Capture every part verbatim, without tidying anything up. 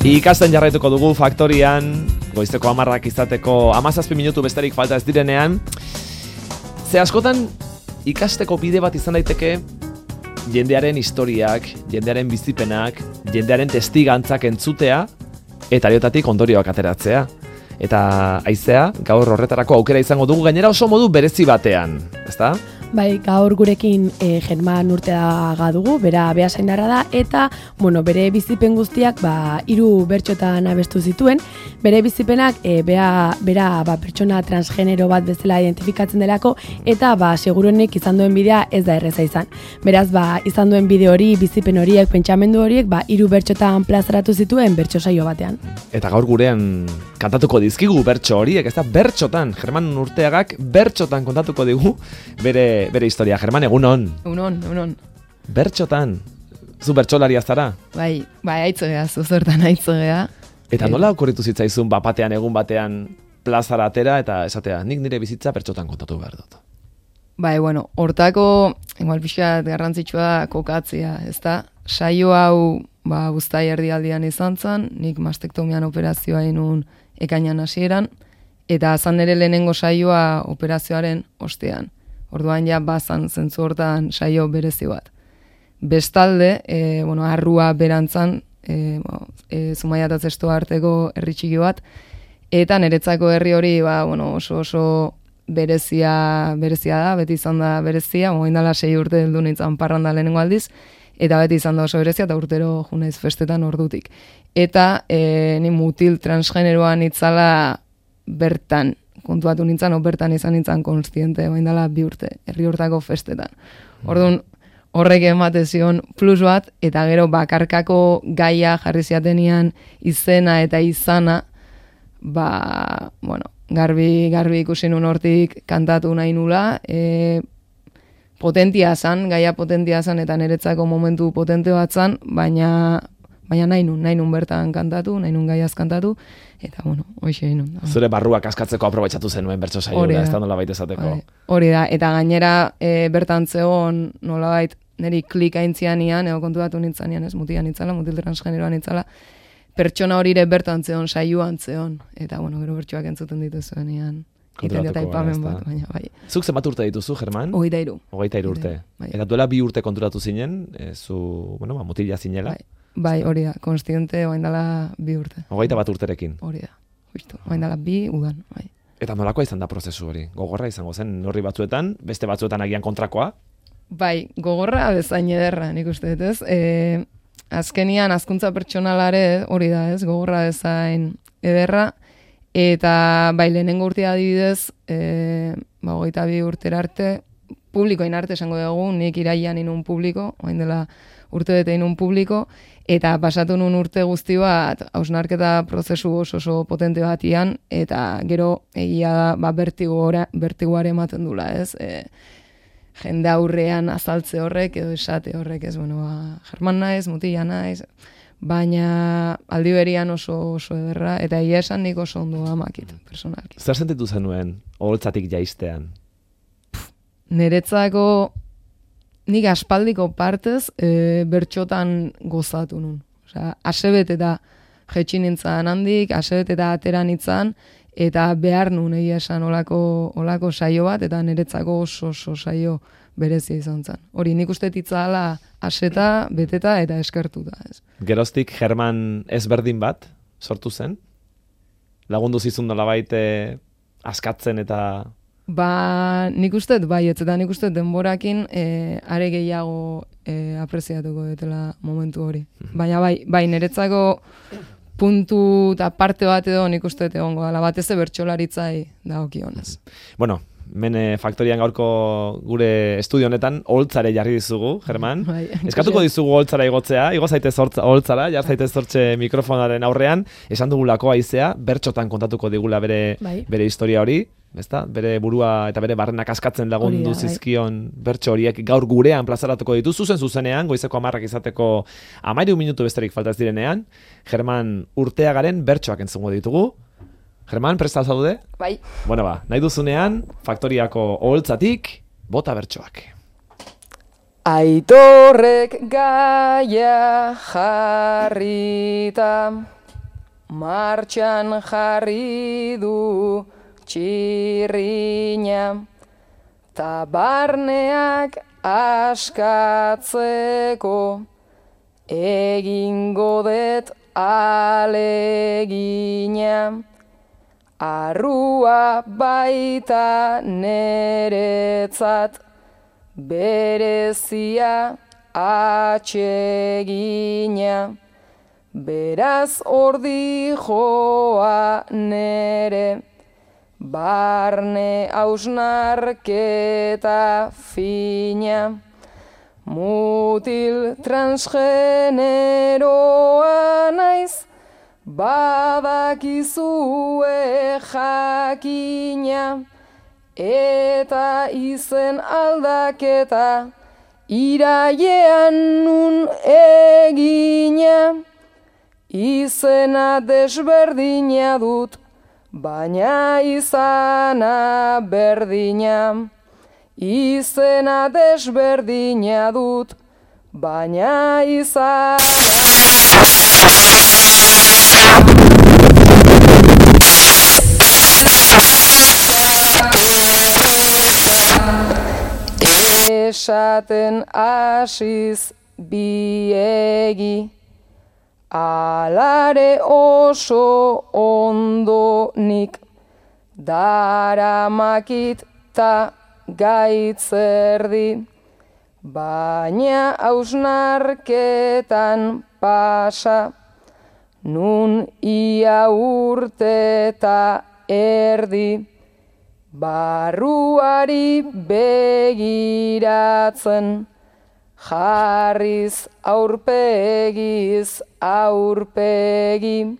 Ikasten jarraituko dugu faktorian, goizteko hamarrak izateko hamazazpi minutu besterik falta ez direnean. Ze askotan ikasteko bide bat izan daiteke jendearen historiak, jendearen bizipenak, jendearen testigantzak entzutea eta horietatik ondorioak ateratzea. Eta haizea, gaur horretarako aukera izango dugu gainera oso modu berezi batean, ezta? Bai, gaur gurekin e, German Urteaga dugu, bera beasaindarra da, eta bueno, bere bizipen guztiak ba, hiru bertsotan abestu zituen. Bere bizipenak e, bea, bera ba, pertsona transgenero bat bezala identifikatzen delako, eta ba, seguruenik izan duen bidea ez da erreza izan. Beraz, ba, izan duen bide hori, bizipen horiek, pentsamendu horiek, ba, hiru bertsotan plazaratu zituen bertso saio batean. Eta gaur gurean kantatuko dizkigu bertso horiek, ez da bertsotan, German Urteagak bertsotan kontatuko digu bere bere historia. German, egunon. Egunon, egunon. Bertxotan, zu bertxolaria zara? Bai, bai, aitzogea, zuzortan aitzogea. Eta nola okurritu zitzaizun bapatean, egun batean plazara atera eta esatea, nik nire bizitza bertxotan kontatu behar dut? Bai, bueno, hortako, igual pixkat garrantzitsua da kokatzea, ezta? Saio hau, ba, uztai erdialdian izan zen, nik mastektomian operazioa inun ekainan hasieran, eta azan ere lehenengo saioa operazioaren ostean. Orduan ja bazan zentzu hortan saio berezi bat. Bestalde, e, bueno, arrua berantzan, e, e, Zumaia eta Zesto arteko herri txiki bat, eta niretzako herri hori ba, bueno, oso oso berezia, berezia da, beti izan da berezia, moin dala sei urte heldu nintzen parranda lehenengo aldiz, eta beti izan da oso berezia, eta urtero junaiz festetan ordutik. Eta e, ni mutil transgeneroan itzala bertan, kontuatu nintzen, bertan izan nintzen konstiente, bain dela bi urte, herri hortako festetan. Orduan, horrek emate zion plus bat, eta gero bakarkako gaia jarri ziatenian izena eta izana, ba, bueno, garbi, garbi ikusi nun hortik kantatu nahi nula, e, potentia zan, gaia potentia zan, eta niretzako momentu potente bat zan, baina, baina nahi nun, nahi nun bertan kantatu, nahi nun gaiaz kantatu, eta, bueno, hoxe egin nun. Zure barruak askatzeko aprobetxatu zenuen bertso saioa, ez da nolabait esateko. Hori da, eta gainera e, bertan zegoen nolabait niri klik aintzianian, edo kontuatu nintzanean, ez, mutian nintzala, mutil transgeneroan nintzala, pertsona horire bertan zegoen, saioan zegoen, eta, bueno, gero bertsoak entzuten dituzuenean. Iten dut aipamen bat, baina, bai. Zuk zenbat urte dituzu, German? Hogeita hiru. Hogeita hiru urte. Bai. Eta duela bi urte konturatu zinen, e, zu, bueno, ba, mutila zinela. Bai. Bai, hori da, konstiente oain dela bi urte. Hogeita bat urterekin. Hori da, justu, oain dela bi udan, bai. Eta nolakoa izan da prozesu hori? Gogorra izango zen horri batzuetan, beste batzuetan agian kontrakoa? Bai, gogorra bezain ederra, nik uste dut, ez? E, azkenian, azkuntza pertsonalare hori da, ez? Gogorra bezain ederra, eta bai, lehenengo urtea adibidez, e, ba, hogeita bi urtera arte, publikoin arte esango dugu, nik iraian inun publiko, oain dela urte bete inun publiko, eta pasatu nun urte guzti bat, hausnarketa prozesu oso oso potente batian, eta gero egia da, ba, bertiguare ematen dula, ez? E, jende aurrean azaltze horrek, edo esate horrek, ez? Bueno, ba, German naiz, mutila naiz, baina aldi berian oso oso ederra, eta egia esan nik oso ondo amakit, personalki. Zer sentitu zenuen, oholtzatik jaistean? Niretzako nik aspaldiko partez e, bertxotan gozatu nun. Osea, asebet eta jetxi nintzen handik, asebet eta atera nintzen, eta behar nun egia esan olako, olako saio bat, eta niretzako oso oso saio berezia izan zen. Hori nik uste titzala aseta, beteta eta eskertuta. Ez. Geroztik German ezberdin bat sortu zen? Lagundu zizun nolabait e, askatzen eta... Ba, nik uste, bai, ez eta nik uste denborakin e, are gehiago e, apreziatuko dutela momentu hori. Baina bai, bai, niretzako puntu eta parte bat edo nik uste egongo dela, batez bertsolaritzai dagokionez. Bueno, Mene Faktorian gaurko gure estudio honetan oholtzare jarri dizugu, German. Bai, Eskatuko dizugu oholtzara igotzea, igo zaitez oholtzara, jar zaitez hortxe mikrofonaren aurrean, esan dugulako haizea, bertxotan kontatuko digula bere, bai. bere historia hori, ezta? Bere burua eta bere barrenak askatzen lagundu Hori da, zizkion bertso horiek gaur gurean plazaratuko ditu, zuzen zuzenean, goizeko hamarrak izateko hamairu minutu besterik faltaz direnean, German Urteagaren bertsoak entzungo ditugu. German, presta zaude? Bai. Bueno ba, nahi duzunean, Faktoriako oholtzatik, bota bertsoak. Aitorrek gaia jarrita, martxan jarri du txirrina, ta barneak askatzeko egingo det alegina, arrua baita neretzat berezia atsegina, beraz ordi joa nere, barne hausnarketa fina, mutil transgeneroa naiz, badakizue jakina, eta izen aldaketa irailean nun egina, izena desberdina dut, baina izana berdina, izena desberdina dut, baina izana... Esaten asiz biegi, alare oso ondo nik, daramakit ta gaitzerdi, baina hausnarketan pasa, nun ia urte ta erdi, barruari begiratzen, jarriz aurpegiz aurpegi,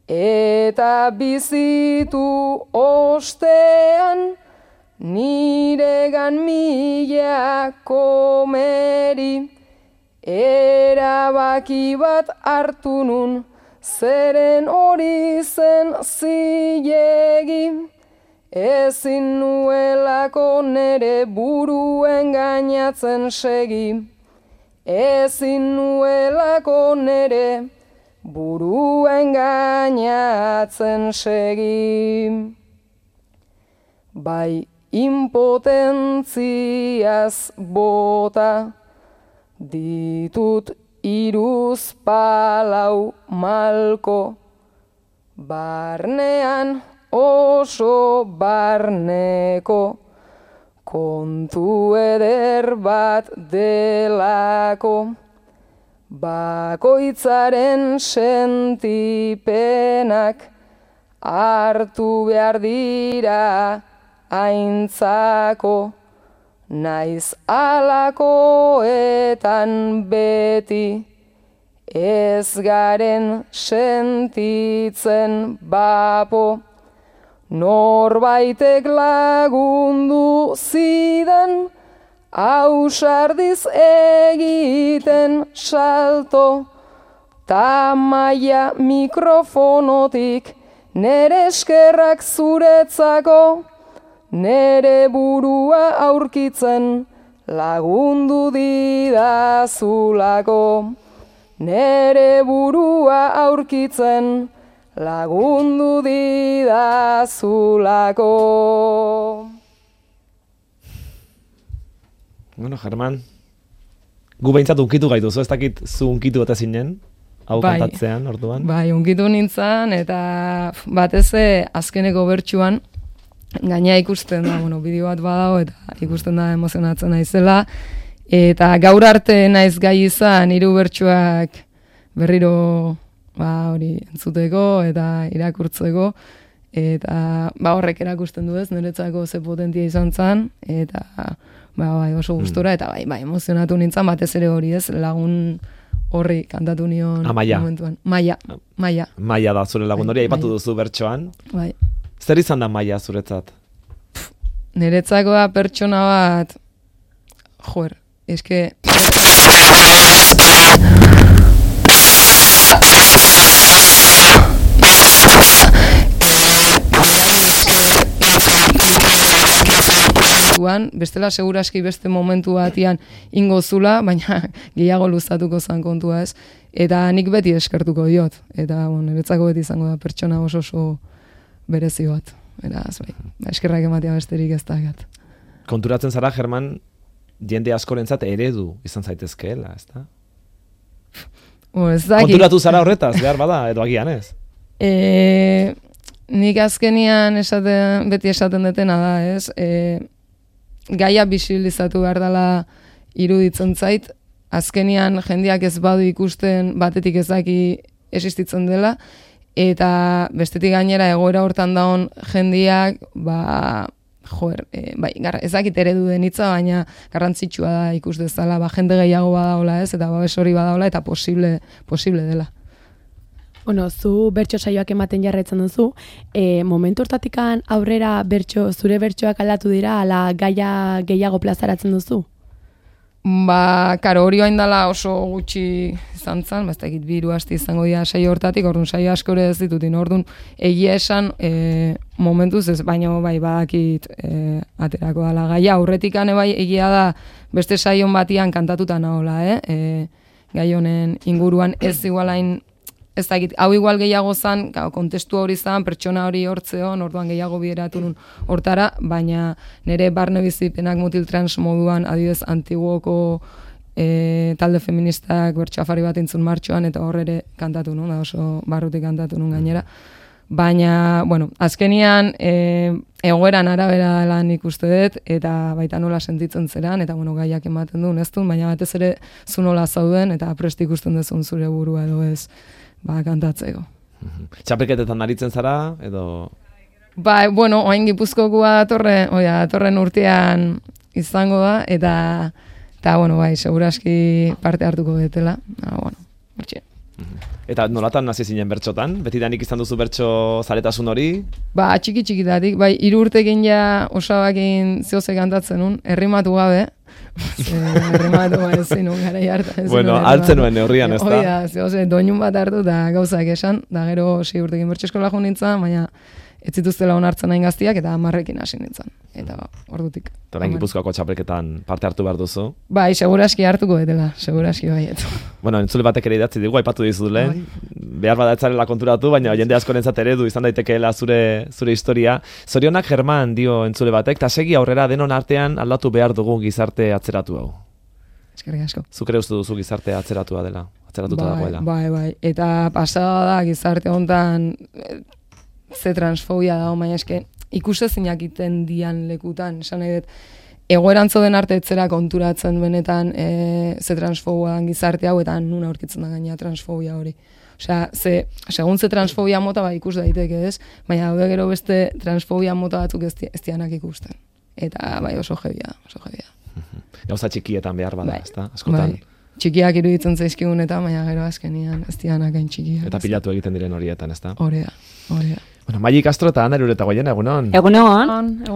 eta bizitu ostean, niregan mila komeri, erabaki bat hartu nun, zeren hori zen zilegi, ezin nuelako nere buruen gainatzen segi, ezin nuelako nere buruen gainatzen segi. Bai impotentziaz bota, ditut iruz palau malko, barnean oso barneko, kontu eder bat delako, bakoitzaren sentipenak hartu behar dira aintzako, naiz alakoetan beti, ez garen sentitzen bapo, norbaitek lagundu zidan, ausardiz egiten salto, ta maia mikrofonotik nere eskerrak zuretzako, nere burua aurkitzen lagundu didazulako, nere burua aurkitzen lagundu didazulako. Bueno, Germán, gu behintzat unkitu gaituzu, ez dakit zu unkitu eta zinen, hau bai, kantatzean, orduan? Bai, unkitu nintzen, eta batez azkeneko bertsuan, gaina ikusten da, bueno, bideo bat badago, eta ikusten da emozionatzen naizela, eta gaur arte naiz gai izan hiru bertsuak berriro ba hori entzuteko eta irakurtzeko, eta ba horrek erakusten du ez, niretzako ze potentia izan zen, eta ba bai oso gustora, eta bai bai emozionatu nintzen, batez ere hori ez, lagun horri kantatu nion momentuan. Maia, Maia. Maia da zure lagun hori, aipatu duzu bertsoan. Bai. Zer izan da Maia zuretzat? Niretzako da pertsona bat, joer, eske... bestela seguraski beste momentu batian ingo zula, baina gehiago luzatuko zan kontua ez. Eta nik beti eskertuko diot. Eta, bon, niretzako beti izango da pertsona oso oso berezi bat. Beraz, bai, eskerrak ematea besterik ez da gat. Konturatzen zara, German, jende askorentzat eredu izan zaitezkeela, ez da? O, ez dakit. Konturatu zara horretaz, behar bada, edo agian ez? E, nik azkenian esaten, beti esaten detena da, ez? E, gaia bisibilizatu behar dela iruditzen zait, azkenian jendeak ez badu ikusten batetik ez daki existitzen dela, eta bestetik gainera egoera hortan daun jendeak, ba, joer, e, bai, gar, ez dakit eredu den hitza, baina garrantzitsua da ikus dezala, ba, jende gehiago badaola ez, eta babes hori badaola, eta posible, posible dela. Bueno, zu bertso saioak ematen jarraitzen duzu, e, momentu hortatikan aurrera bertso, zure bertsoak aldatu dira, ala gaia gehiago plazaratzen duzu? Ba, karo, hori hain dela oso gutxi izan zen, ba, ez dakit biru asti izango dira saio hortatik, orduan saio askore ez ditutin, orduan egia esan e, momentuz ez, baina bai badakit e, aterako dela gaia, aurretikane bai egia da beste saion batian kantatuta nahola, eh? E, gai honen inguruan ez igualain, ez dakit, hau igual gehiago zan, kontestu hori zan, pertsona hori hortzeon, orduan gehiago bideratu nun hortara, baina nire barne bizipenak mutil trans moduan, adibidez antiguoko e, talde feministak bertxafari bat intzun martxoan, eta horre kantatu nun, da oso barrutik kantatu nun gainera. Baina, bueno, azkenian e, egoeran arabera lan ikuste dut, eta baita nola sentitzen zeran, eta bueno, gaiak ematen duen ez duen, baina batez ere zu nola zauden, eta prest ikusten duzun zure burua edo ez, ba, kantatzeko. Txapelketetan aritzen zara, edo... Ba, bueno, oain Gipuzkokoa datorren, oia, datorren urtean izango da, eta, eta bueno, bai, seguraski parte hartuko detela. Ah, bueno, hortxe. Eta nolatan hasi zinen bertxotan? Betidanik izan duzu bertso zaretasun hori? Ba, txiki txikitatik, bai, hiru urtekin ja osabakin zehoze kantatzen nun, errimatu gabe. Errimatu ba ez zinun gara jartan. Bueno, hartzen nuen neurrian, ez da? Oida, zehoze, doinun bat hartu eta gauzak esan, da gero sei urtekin bertso eskola jo nintzen, baina ez zituztela onartzen hain gaztiak eta hamarrekin hasi nintzen. Eta ordutik. Eta orain Gipuzkoako txapelketan parte hartu behar duzu? Bai, seguraski hartuko betela, seguraski baiet. Bueno, entzule batek ere idatzi digu, aipatu dizu lehen. Behar badatzarela konturatu, baina jende askorentzat eredu izan daitekeela zure zure historia. Zorionak German dio entzule batek, eta segi aurrera denon artean aldatu behar dugu gizarte atzeratu hau. Eskerrik asko. Zuk ere uste duzu gizarte atzeratua dela, atzeratuta bai, dagoela. Bai, bai, eta pasada da gizarte hontan ze transfobia dago, baina eske ikusezinak iten dian lekutan, esan nahi dut, egoerantzo den arte etzera konturatzen benetan e, ze transfobia dan gizarte hau, eta nuna aurkitzen da gaina transfobia hori. Osea, ze, segun ze transfobia mota ba ikus daiteke ez, baina daude gero beste transfobia mota batzuk ez, ez dianak ikusten. Eta bai oso jebia, oso jebia. Gauza txikietan behar bada, bai, ezta? Askotan. Bai. Txikiak iruditzen zaizkigun eta baina gero azkenian ez dianak hain txikiak. Eta pilatu egiten diren horietan, ezta? Horea, horea. Bueno, Maili Castro eta Ana Irureta Goiena, egunon. Egunon.